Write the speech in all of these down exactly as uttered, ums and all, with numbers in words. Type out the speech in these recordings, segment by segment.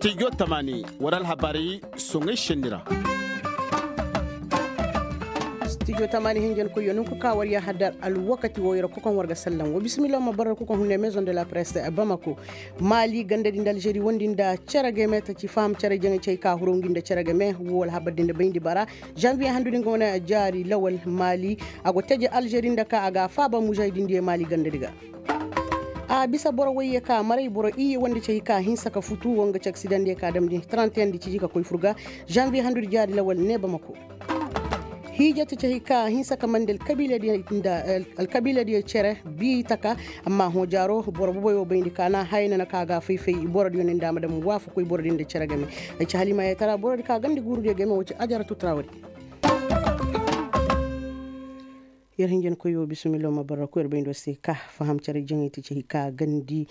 Stijo tamaani war alhabaari soŋay senni ra. Stijo tamaani hinjankoyyo nunku ka war yaahadar alwakati wo yer kokoŋ war ga sallam wo bisimillah ma barra kokoŋ hunne maison de la presse bamako. Maali ganda din da alžeri wondi nda cere game ta ci faham cere jaŋay cey ka huru ngi nda cere game wo alhabar din da bayndi bara. Janvier handu din ga wane jaari lawal maali a go teje alžeri nda ka a ga a faaba mujahidin diyo maali ganda di ga. A bisa boro wayye ka maray boro iyye wanda cey ka hinsa ka futu wanga ci aksidan diyo ka damndi trente et un di ciji ka koy furga. Janvier handu di jaari lawal ne bamako. Hiijatu cey ka hinsa ka mande alkabiila diyo cere bi taka. Amma hõ jaaro boro boboyo bayndi ka na haya nana ka ga fay-fay boro diyo ne nda a ma dam waafakoy boro din da cere game. Ay ci halimaayey tara boro di ka gandi guuru diyo game wo ci ajaratu trawari. Yer hinjankoy wo bisimillo ma barra koy yer bayndo se ka faham cere jaŋay ti cey ka gandi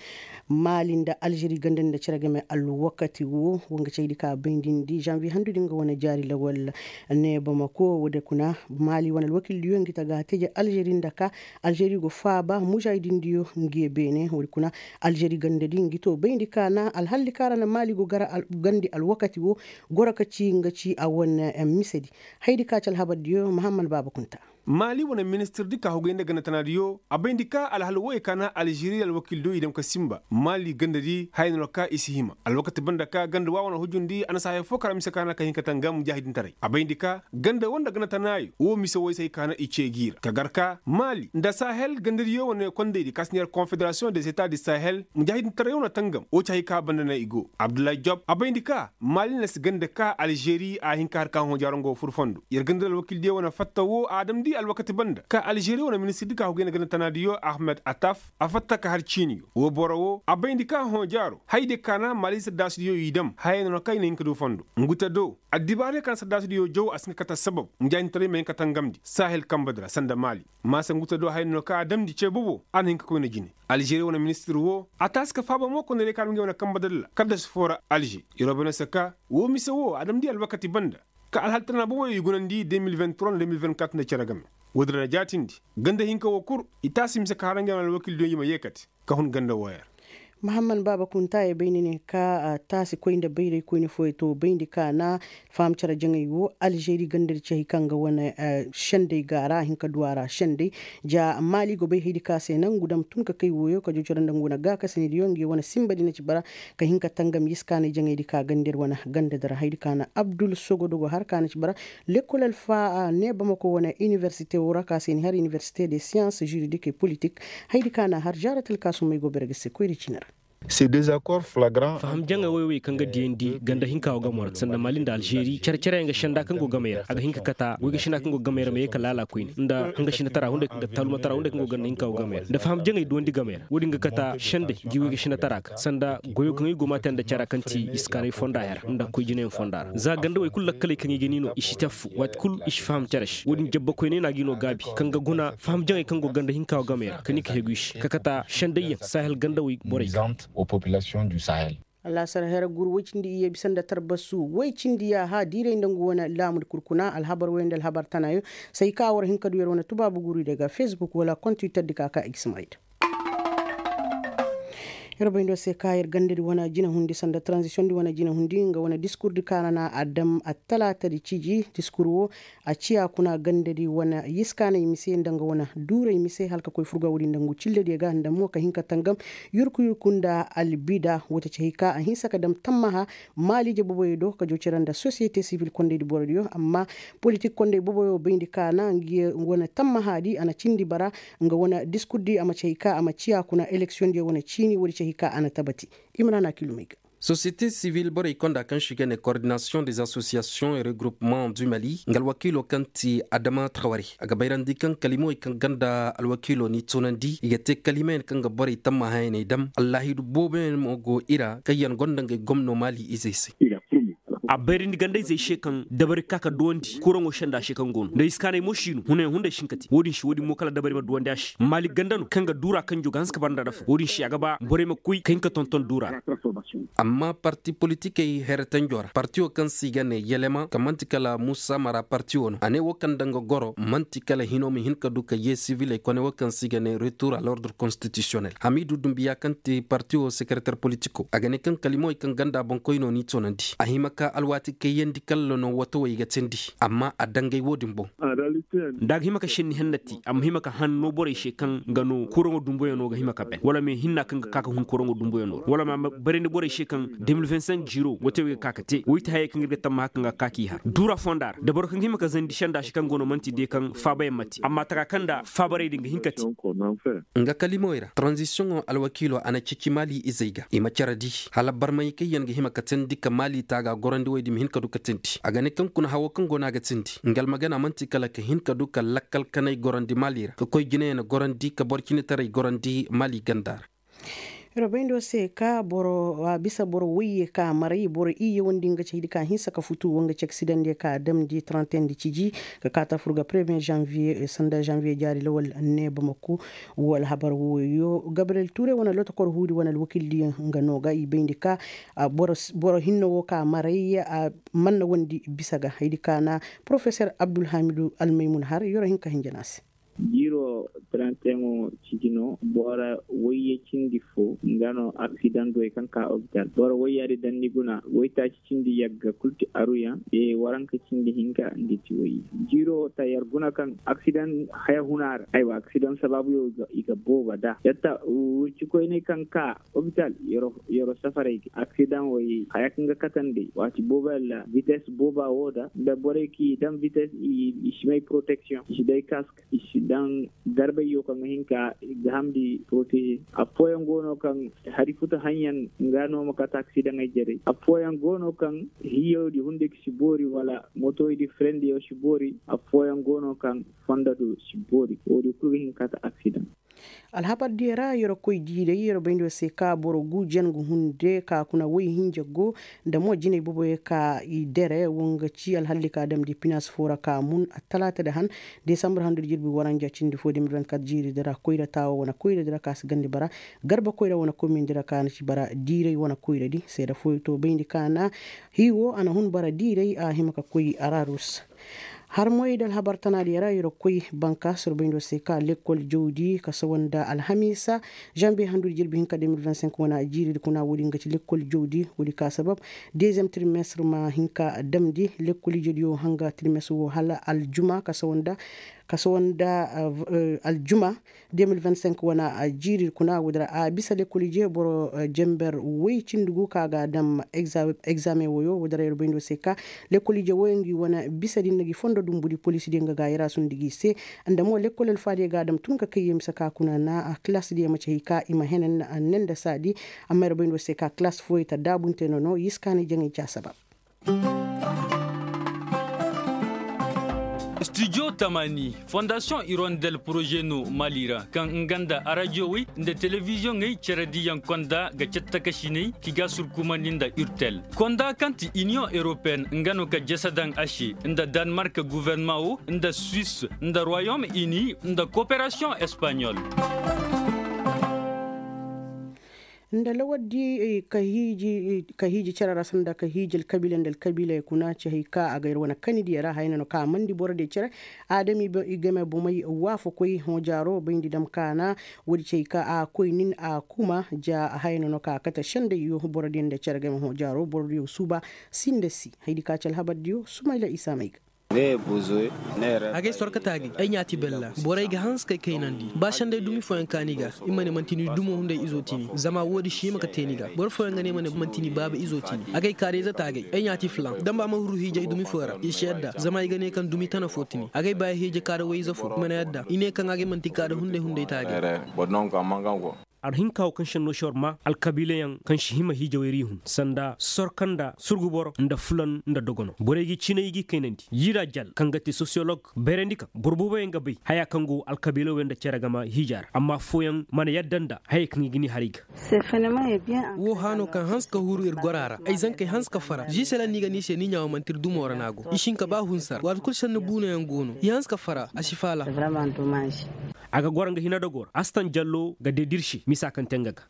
maali nda alžeri ganda nda cere game alwakati wo wanga cey di ka baydindi janvier handu di nga wane jaari lawal. Ne bamako wo- din kuna maali wane alwakil diyo ngi ta ga teje alžeri nda ka alžeri go faaba mujahidin diyo ngi ye beene wo- din kuna alžeri ganda di ngi to bayndi ka na alhalli ka ra na maali go gandi alwakati wo goro ka ci nga ci a wane mise di. Haydi ka ci alhabar diyo mahamman baaba kunta. Maali wane ministir di ka hugay nda ganda tana diyo a bayndi ka alhal woy ka na alžeri alwakil diyo i dam ka sinba maali ganda di haya no ka i si hima alwakati banda ka ganda wa wane hujundi a na si haya fo ka ra mise ka na ka hin ka tangam mujahidintaray a bayndi ka ganda wo nda ganda tana yo wo mise woy se hay ka na i ce gi ra ka gar ka maali nda sahel ganda diyo wane kondey di ka si ne yer konfederasiyoŋ de zeta di sahel mujahidintaray wo na tangam wo ci hay ka banda na i go abdullahi job a bayndi ka maali na si ganda ka alžeri a hin ka har ka hõ jaaro nga wo fur fondo yer ganda alwakil diyo wane fatta wo a damndi alwakati banda ka alžeri wane ministir di ka hugay nda ganda tana diyo ahmed ataf a fatta ka har ciini yo wo boro wo a bayndi ka hõ jaaro hayde ka na maali saddaasi diyo i dam haya no na ka i na hin ka du fondo nguta do addibaarey ka na saddaasi diyo jaw a si hin ka kate assabab mujahidintaray ma hin ka tangamndi sahel kambe di ra sanda maali maasa nguta do haya no na ka a damndi ce bobo a na hin ka koy nda jine alžeri wane ministir wo a taasi ka faaba mo kondaray ka a dam ngey wane kambe di ra kala da si foo ra alže yeroo bay no se ka wo mise wo a damndi alwakati banda ka alhal tana boboyo i gunandi deux mille vingt-trois nda deux mille vingt-quatre nda cere game wo- din ra jaatindi ganda hinka wo kul i taasi mise ka har ngey wane alwakil diyo i ma yeekate ka hun ganda wooyo ra mahamman baaba kunta ye bay ni ne ka taasi koy nda bayray koyne fooyo to bayndi ka na faham cere jaŋay wo alžeri ganda di ci hay kaŋ ga wane sendey ga a ra a hin ka du a ra sendey ja maali go bay haydi ka se nangu dam tun ka kay wooyo ka joocoro nda nga wane gaakasani diyo nga ye wane sinba di na ci bara ka hin ka tangam yiskaanay jaŋay di ka ganda di wane ganda di ra haydi ka na abdul sogodo go har ka na ci bara lekkol alfa ne bamako wane inibersite wo ra ka se ni har inibersite de siyans juridik e politik haydi ka na har jaaratal ka summay go bere ga se koyri ciini ra. Faham jaŋay woy woy kaŋ ga diyandi ganda hinka wo gamo ra sanda mali nda alžeri care care yaŋ ga senda kaŋ go gamey ra a ga hin ka kata goy ga senda kaŋ go gamey ra ma ye ka laala koyne nda hanga senda tara hunday nda taaluma tara hunday kaŋ go ganda hinka wo gamey ra nda faham jaŋay duwandi gamey ra wo- din ga kata sendey gi goy ga senda tara ga sanda goyo kaŋ i go ma te nda cara kaŋ ti iskaanay fonda hera nda koy jinayaŋ fonda ra za ganda woy kulu lakkaley kaŋ i ga ni no i si teffu waati kulu i si faham care se wo- din jabba koyney no a ga i no gaabi kaŋ ga guna faham jaŋey kaŋ go ganda hinka wo gamey ra ka ni ka hegu i se ka kata sendayyaŋ sahel ganda woy borey ga. Alaasar hera guuru woy cindi iyye bisa nda tarbasu woy cindi yaaha diiray nda nga wane laamu di kurkuna alhabar woy nda alhabar tanayo. Say ka war hin ka du yer wane tubaabu guuru day ga facebook wala kontiwiter di ka ka i ga si mayda. Yer bay ndo se ka yer ganda di wane jina hundi sanda tranzisiyoŋ di wane jina hundi nga wane diskur di kaana na a dam attalaata di ciji diskur wo. A ciya kuna ganda di wane yiskaanay mise nda nga wane duuray mise hala ka koy furga wo- din nda ngu cillediyo ga nda mo ka hin ka tangam yurku yurku nda albida wo ta ci hay ka a hinsa ka dam tammaha maaliije boboyo do ka joocira nda sosiyete sibil kondey di borodiyo amma politik kondey boboyo bayndi kaana ngi wane tammaha di a na cindi bara nga wane diskur di a ma ci hay ka a ma ciya kuna eleksiyoŋ diyo wane ciini wo- di ci hay ka a na tabati. Imrana kilumey ga. Sosiyete sivil borey konda kaŋ se i ga ne kordinasiyoŋ des asosiyasiyoŋ e regroupement du mali nga alwakiilo kaŋ ti adama trawari a ga bayrandi kaŋ kalimawey kaŋ ganda alwakiilo n'i tunandi i ga te kalimayaŋ kaŋ ga borey tamma hayaney dam allaahidu booboyaŋ mo go i ra kaŋ yaŋ gonda ngey gomno mali izey se. A bayrandi ganda-izey se kaŋ dabari ka ka duwandi kuraŋo senda se kaŋ go no nda iskaanay mo si no hunayaŋ hunday si hin ka te wo-din se wo-din mo kala dabari ma duwandi a se maali ganda no kaŋ ga duura kaŋ jo ga hanse ka bara nda dafa wo-din se a ga ba borey ma koy ka hin ka tonton duura ra. Amma parti politikey heretanjo ra partiyo kaŋ se i ga ne yelema kaŋ man'ti kala muusa mara partiyo no a ne wo kaŋ daŋ ga goro man'ti kala hino ma hin ka du ka yee siviley kone wo kaŋ se i ga ne retur a lordre konstitisiyonel hamiidu dumbiya kaŋ ti partiyo sekereter politiko a ga ne kaŋ kalimawey kaŋ ganda boŋkoy no n'i toonandi a hima ka alwaati kayyandi kalla no watawey ga teendi amma a dangay wo-din boŋ. Da a ga hima ka senni henna te a ma hima ka hanno borey se kaŋ ga no kuraŋo dumbuyaŋo ga hima ka ben wala me hinna kaŋ ga ka ka hun kuraŋo dumbuyaŋo ra wala ma a ma barandi borey se kaŋ de mil vingt cinq ziro watawey ga ka ka te woy ti hayey kaŋ ir ga tammaha kaŋ ga ka k'i har duura fonda ra da boro kaŋ ga hima ka zandi senda se kaŋ go no man'ti de kaŋ faabayaŋ ma te amma taka kaŋ nda faabarey din ga hin ka te. Nga kalimawey ra tranzisiyoŋo alwakiilo a na ceeci maali izey ga i ma cere di hala barmay kaŋ yaŋ ga hima ka teendi ka maali taaga gorandi wey din ma hin ka du ka teendi a ga ne kaŋ kuna hawo kaŋ go no a ga teendi nga almagana man'ti kala ka hin ka du ka lakkal kanay gorandi maali ra ka koy jinayaŋ gorandi ka boro cinetaray gorandi maali ganda ra. Yer bayndi wo se ka boro a bisa boro woyye ka maray boro iyye wandi nga cahidi ka hinsa ka futu wanga ci aksidaŋ diyo ka damndi trente et un di ciji ka kaata fur ga premier janvier sanda janvier jaari lawal ne bamako. Wo alhabar woyo gabriel ture wane lotokor huudi wane alwakil diyo nga no ga i bayndi ka boro hinne wo ka maray manna wandi bisa ga haydi ka na professor abdulhamidu almaymun har yoro hinka hinjana se. Jiiro taranteŋo ciji no boro wayye cindi fo nga no aksidaŋ goy kaŋ ka opital boro wayyaadi daŋ ni guna waytaaci cindi yagga kul ti aruyaŋ. Waranka cindi hinka ngi ti wayye. Jiiro ta yar guna kaŋ aksidaŋ haya huna ra aywa aksidaŋ sabaabuyo i ga booba da yatta wurci koyney kaŋ ka opital yaro safaray ga aksidaŋ way haya kaŋ ga katandi waati booba yalla vites booba wo da nda borey kaŋ i daŋ vites i si may protection i si day kask i si daŋ garbay yo kaŋ ga hin ka i ga hamndi protege. Affooyaŋ go no kaŋ hari futa haŋyaŋ nga no ma kate aksidaŋey jarey affooyaŋ go no kaŋ hiyoodi hunday ga si boori wala motoydi firendiyo si boori. Affooyaŋ go no kaŋ fondo do si boori wo-din kul ga hin ka kate aksidaŋ. Alhabar diyo ra yer koy diiray yer bayndi wo se ka boro guujen ga hunde ka kuna woy hinja go nda mo jinay boboyo ka i dere wo nga ci alhalli ka damndi pinas fo ra ka mun attalaata da han. Desambar handu da jirbi waranja cindi fo de mil vingt kat jiiri di ra koyra taawo wane koyra di ra ka si gandi bara garba koyra wane komin di ra ka na ci bara diiray wane koyra di seeda fooyo to bayndi ka na hii wo a na hun bara diiray a hima ka koy ararus. Harmoy da alhabar tanaadiyo ra yer koy banka surbayndo se ka lekkol jawdi ka sawa nda alhamiisa. Janviye handu da jirbi hinka de mil vingt cinq wane jiiri di kuna wo-din ga ci lekkol jawdi wo-din ka sabab deziyem tirimestir ma hin ka damndi lekkol ijediyo hanga tirimestir wo hala aljuma ka sawa nda ka sawa nda aljuma. De mil vingt cinq wane jiiri kuna wo-din ra a bisa lekkol ije boro jenber woy cindi gu ka ga a daŋ. Egzaameŋ woyo wo-din ra yer bayndo se ka lekkol ije woyo ngi wane bisa din na gi fondo dumbu di poliisi diyaŋ ga gaayira sundi gi se. Nda mo lekkol alfaadiyo ga a daŋ tun ka kay yee mise ka kuna na kilaasi diyaŋ ma ci hay ka i ma hene ne nda saadi. Amma yer bayndo se ka kilaasi fooyo ta daabunte nono yiskaanay jaŋay ci a sabab. Studio tamani fondasiyoŋ irondel poroze no mali ra kaŋ nga nda arajowey nda telebiziyoŋey cere diyaŋ konda ga cattakasiney ki ga surkumandi nda urtel konda kaŋ ti iniyoŋ europeyen nga no ka jese daŋ a se nda danmark guvernaman wo nda suwis nda royom ini nda koperasiyoŋ espaɲol. Nda lawardi ka hiiji cere ra sanda ka hiiji alkabiila nda alkabiiley kuna ci hay ka a ga yer wane kanidiyo ra haya no ka a mandi borodiyo cere. Adami i game bomey waafakoy hõ jaaro bayndi dam kaana. Woodi ci hay ka a koy nin a kuma ja haya no ka a kate sendayyo borodiyo nda cere game hõ jaaro borodiyo suuba. Si nda si haydi ka ci alhabardiyo sumayla isa may ga. Agay sorkata agay ay ɲaati bella. Borey ga hanse kay kaynandi ba senday dumi fooyaŋ kaani ga. I ma ne manti ni dumo hunday izo tini zama woodi si hima ka te ni ga boro fooyaŋ ga ne ma ne manti ni baaba izo tini agay kaarayze ta agay ay ɲaati filaŋ damba ma huru hiijay dumi foo ra i si yadda zama i ga ne kaŋ dumi tana foo tini agay ba ay hiije kaara wayze foo i ma ne yadda i ne kaŋ agay manti kaara hunday hunday ta agay. Ar hinka wo kaŋ senno si war ma alkabiilayaŋ kaŋ si hima hiijawey ra i hun sanda sorka nda surgu boro nda fulan nda dogono borey ga i ciinay i ga i kaynandi. Yida jal kaŋ ga te sosiyolog bayrandi kaŋ boro booboyaŋ ga bay haya kaŋ go alkabiila wey nda cere game hiija ra amma affooyaŋ mana yadda nda hayey kaŋ i ga ni har i ga. Wo hano kaŋ hanse ka huru ir gora ra ay zankey hanse ka fara ziiselaŋ no i ga ne i se ni ɲaawo manti ir dumo ra no a go i si hin ka ba hunsar waati kulu senni buunayaŋ go no i hanse ka fara a si faala. A ga goro nga hina dogoo ra astan jallo ga deedi ir se misa kaŋ te nga ga.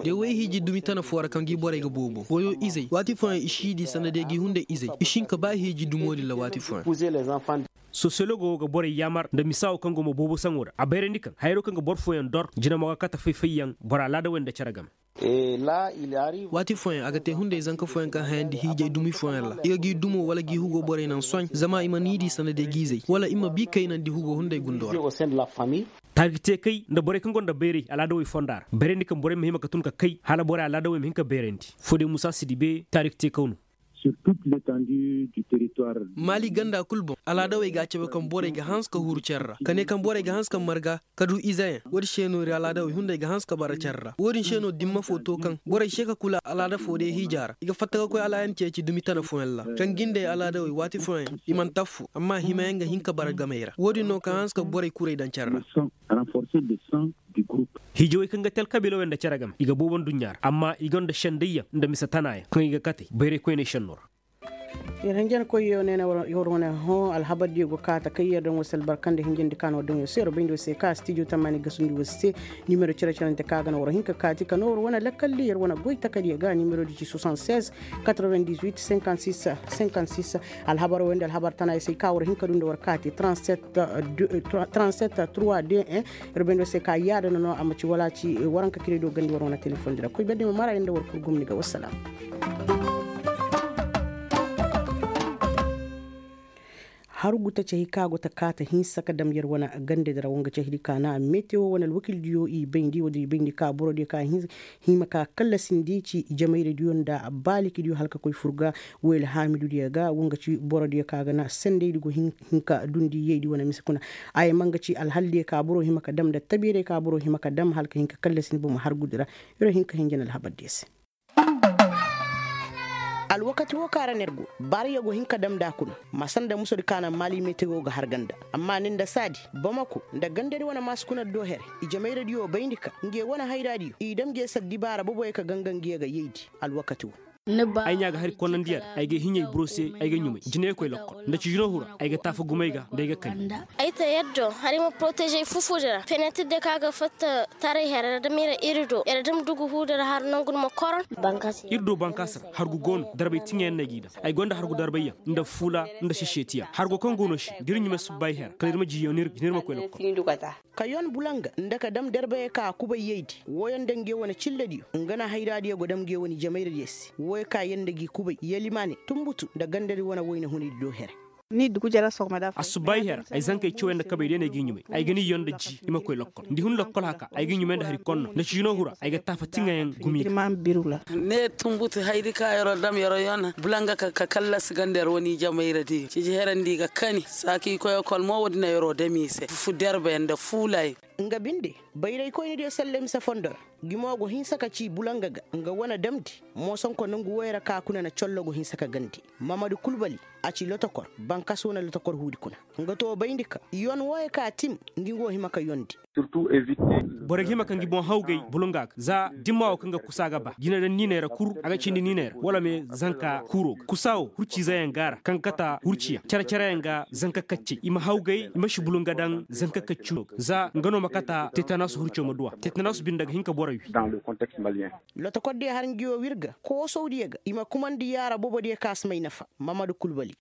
De way hiiji dumi tana foo ra kaŋ gi borey ga boobo goyo izey waati fooyaŋ i si di sanda de gi hunday izey i si hin ka ba hiiji dumo din ra waati fooyaŋ. Sosiyologo wo ga borey yaamar nda misa wo kaŋ go ma boobo saŋo ra a bayrandi kaŋ hayro kaŋ ga boro fooyaŋ dor jina mo ga kate fay-fayyaŋ boro alaada wey nda cere game. Waati fooyaŋ a ga te hunday zanka fooyaŋ kaŋ hayandi hiijay dumi fooyaŋ ra i ga gi dumo wala gi hugo borey naŋ soy zama i ma ni di sanda de gi izey wala i ma bi kaynandi hugo hunday gundo ra. Taarikteekey nda borey kaŋ gonda bayray alaadawey fonda ra bayrandi kaŋ borey ma hima ka tun ka kay hala borey alaadawey ma hin ka bayrandi foodey musa si di bee taarikteekaw no. Maali ganda kul boŋ alaadawey ga a cabe kaŋ borey ga hanse ka huru care ra ka ne kaŋ borey ga hanse ka marga ka du izeyaŋ woodin se no ir alaadawey hunday ga hanse ka bara care ra woodin se no dimma fo to kaŋ borey se ka kula alaada fo day hiija ra i ga fatta ka koy alaayan ceeci dumi tana fooyaŋ ra kaŋ gindey alaadawey waati fooyaŋ i mana taffu amma himayaŋ ga hin ka bara gamey ra woodin no kaŋ hanse ka borey kuray daŋ care ra. Hiijawey kaŋ ga te alkabiilawey nda cere game i ga boobo nduɲɲa ra amma i gonda sendayyaŋ nda mise tanaayaŋ kaŋ i ga katey bayray koyney senno ra. Ir hinjankoyyo ne na war wane hõ alhabardiyo go kaata kay yer daŋ war se albarka nda hinjandi ka no daŋ yo se war bayndi war se ka stijo tamani gasundi war se. Nimero cere-cerante ka ga na war hin ka kaati ka no war wane lakkaldi yer wane goy takadiyo ga nimero di ci soixante seize quatre-vingt-dix-huit cinquante-six cinquante-six. Alhabar wayndi alhabar tana ay se ay ka war hin ka du nda war kaati trente-sept trois deux un. Yer bayndi war se ka yaada no no a ma ci wala ci waranka kire do gandi war wane telefoŋ di ra koy berde ma mara yer nda war kul gomni ga wassalam. Hargu tacahi ka go ta kaata hinsa ka dam yer wane gande dira wanga cahidi ka na metewo wane alwakildiyo i bayndi wala i bayndi ka borodiyo ka hima ka kallasindi ci jamayradiyo nda baalikidiyo hala ka koy furga. Wayla haamidudiyo ga wanga ci borodiyo ka ga na sendaydi go hinka dundi yaydi wane mise kuna. Ay manga ci alhaldiyo ka boro hima ka dam nda tabiyaray ka boro hima ka dam hala ka hinka kallasindi bomo hargudi ra. Yer wo hinka hinjin alhabardiyo se. Alwakati wo kaŋ ra no yer go baariyo go hin ka dam nda a kuna. Ma sanda musodi ka naŋ maali metewo ga har ganda. Amma nin nda saadi bamako nda gandadi wane maasi kuna do here. Ijemayradiyo bayndi ka nge wane hayraadiyo i dam nge sar dibaara boboyo ka ganga nge ga yaydi. Alwakati wo. Ay ɲaa ga hari konnandiya ra ay ga hiɲey buro se. Ay ga ɲumay jiney koy lokkol nda ci jino hura ay ga taafa gumay ga nda ay ga kani. Ay ta yaddo hari ma poroteže ay fufudi ra fenetir de kaŋ a ga fatta taray here ra dam iri do iri dam dugu huudi ra har nangu ni ma koron. Iri do bankaasi ra hargu go no darbay tiŋayaŋ no ay g'i daŋ. Ay gonda hargu darbayyaŋ nda fuula nda sesetiyaŋ hargo kaŋ go no se da iri ɲumay subbay here kala iri ma jiyo ni iri ma koy lokkol. Ka yon bulanga nda ka dam darbayey ka kubay yaydi wooyaŋ nda nge wane cillediyo nga na hayraadiyo go dam nge wane jamayradiyo se wooyaŋ ka yer nda gi kubay yalimaane tunbutu nda gandadi wane wayna hunaydi do here. Assubayi her ay zankey cawey nda kabey day no ay g'i ɲumay. Ay ga ni yon nda ji i ma koy lokkol nda i hun lokkol haka ay g'i ɲumay nda hari konno nda ciino hura ay ga taafa tiŋayaŋ gumi ga. Ne tunbutu haydi ka yer'o dam yer'o yon bulanga ka kallasi ganda yer wane i jamayradiyo ciji herandi i ga kani saaka i koy ekol mo woodi na yer'o dam i se fu derbe nda fuulayaŋ. Nga binde bayraykoynidiyo salle mise fondo ra. Gimo go hinsa ka ci bulanga ga nga wane damndi. Moosonko nongu woyo ra ka kuna na collo go hinsa ka gandi. Mamadu kulbali a ci lotokor bankas wane lotokor huudi kuna. Nga to bayndi ka yon woyo ka tim ngi go hima ka yondi. Borey ga hima ka ngi boŋ hawgay bulunga ga za dimma wo kaŋ ga kusa ga ba jina daŋ niinay ra kuru a ga cindi niinay ra wala me zanka kuuro ga kusa wo hurciizeyaŋ ga a ra kaŋ ga kata hurciyaŋ care-careyaŋ ga zanka kaccey i ma hawgay i ma si bulunga daŋ zanka kacci no ga za nga no ma kata tetanasu hurciyo ma duw'a tetanasu binde ga hin ka borey wi. Lotokordiyo har ngi wo w'ir ga koosawdiyo ga i ma kumandi yaara bobodiyo kaŋ a si may nafa. Mamadu kulbali.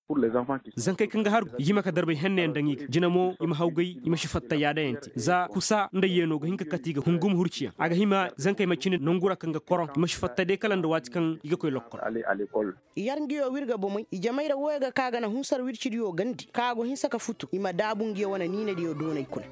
Zankey kaŋ ga hargu i ga hima ka darbay henneyaŋ daŋ i ga jina mo i ma hawgay i ma si fatta yaadayaŋ te za kusa nda yeeno ga hin ka kate i ga hungum hurciyaŋ a ga hima zankey ma cine nangu ra kaŋ ga koroŋ i ma si fatta day kala nda waati kaŋ i ga koy lokkol. Yar ngi wo w'ir ga bomey i jamayra wooyo ga ka ga na hunsar w'ir cidiyo gandi ka go hinsa ka futu i ma daabu ngi wo wane niinadiyo doonay kuna.